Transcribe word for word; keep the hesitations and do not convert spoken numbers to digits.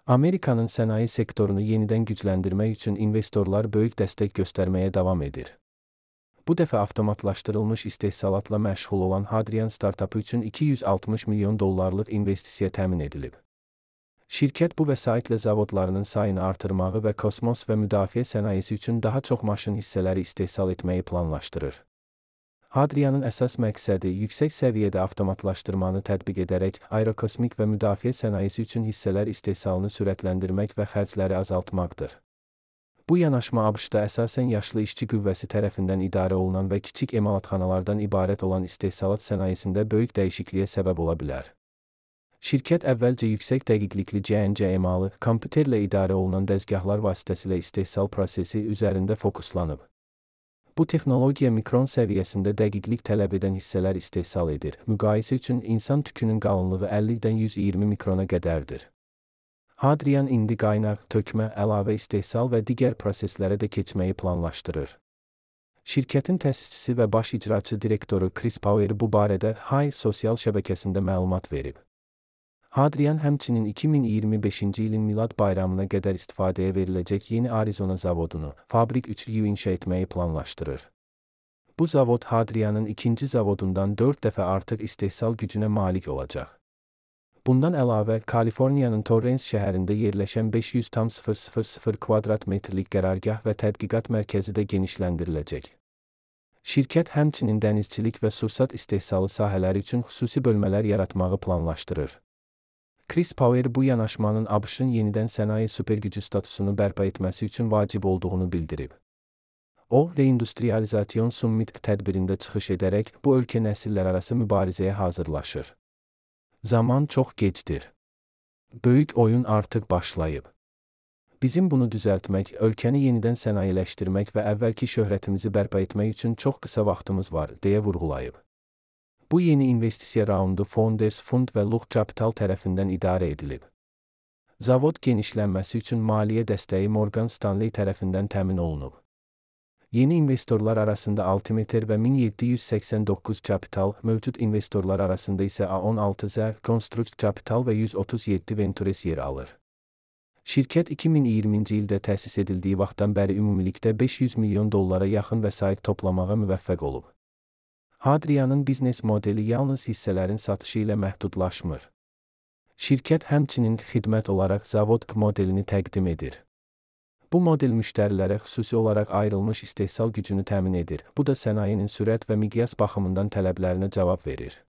Amerikanın sənaye sektorunu yenidən gücləndirmək üçün investorlar böyük dəstək göstərməyə davam edir. Bu dəfə avtomatlaşdırılmış istehsalatla məşğul olan Hadrian startapı üçün iki yüz altmış milyon dollarlıq investisiya təmin edilib. Şirkət bu vəsaitlə zavodlarının sayını artırmağı və kosmos və müdafiə sənayesi üçün daha çox maşın hissələri istehsal etməyi planlaşdırır. Hadrianın əsas məqsədi yüksək səviyyədə avtomatlaşdırmanı tətbiq edərək aerokosmik və müdafiə sənayesi üçün hissələr istehsalını sürətləndirmək və xərcləri azaltmaqdır. Bu yanaşma ABŞ-da əsasən yaşlı işçi qüvvəsi tərəfindən idarə olunan və kiçik emalatxanalardan ibarət olan istehsalat sənayesində böyük dəyişikliyə səbəb ola bilər. Şirkət əvvəlcə yüksək dəqiqlikli C N C emalı, kompüterlə idarə olunan dəzgahlar vasitəsilə istehsal prosesi üzərində fokuslanıb. Bu texnologiya mikron səviyyəsində dəqiqlik tələb edən hissələr istehsal edir. Müqayisə üçün insan tükünün qalınlığı əllidən yüz iyirmi mikrona qədərdir. Hadrian indi qaynaq, tökmə, əlavə istehsal və digər proseslərə də keçməyi planlaşdırır. Şirkətin təsisçisi və baş icraçı direktoru Chris Power bu barədə Hay sosial şəbəkəsində məlumat verib. Hadrian həmçinin iki min iyirmi beşinci ilin Milad bayramına qədər istifadəyə veriləcək yeni Arizona zavodunu, Fabrik üç U inşa etməyi planlaşdırır. Bu zavod Hadrianın ikinci zavodundan dörd dəfə artıq istehsal gücünə malik olacaq. Bundan əlavə, Kaliforniyanın Torrance şəhərində yerləşən beş yüz min kvadrat metrlik qərargah və tədqiqat mərkəzi də genişləndiriləcək. Şirkət həmçinin dənizçilik və sursat istehsalı sahələri üçün xüsusi bölmələr yaratmağı planlaşdırır. Chris Power bu yanaşmanın ABŞ-ın yenidən sənaye supergücü statusunu bərpa etməsi üçün vacib olduğunu bildirib. O, Reindustrializasyon Summit tədbirində çıxış edərək bu ölkə nəsillərarası mübarizəyə hazırlaşır. Zaman çox gecdir. Böyük oyun artıq başlayıb. Bizim bunu düzəltmək, ölkəni yenidən sənayeleşdirmək və əvvəlki şöhrətimizi bərpa etmək üçün çox qısa vaxtımız var, deyə vurğulayıb. Bu yeni investisiya raundu Founders Fund və Lux Capital tərəfindən idarə edilib. Zavod genişlənməsi üçün maliyyə dəstəyi Morgan Stanley tərəfindən təmin olunub. Yeni investorlar arasında Altimeter və min yeddi yüz səksən doqquz Capital, mövcud investorlar arasında isə A on altı Z, Construct Capital və yüz otuz yeddi Ventures yer alır. Şirkət iki min iyirminci ildə təsis edildiyi vaxtdan bəri ümumilikdə beş yüz milyon dollara yaxın vəsait toplamağa müvəffəq olub. Hadrianın biznes modeli yalnız hissələrin satışı ilə məhdudlaşmır. Şirkət həmçinin xidmət olaraq zavod modelini təqdim edir. Bu model müştərilərə xüsusi olaraq ayrılmış istehsal gücünü təmin edir. Bu da sənayenin sürət və miqyas baxımından tələblərinə cavab verir.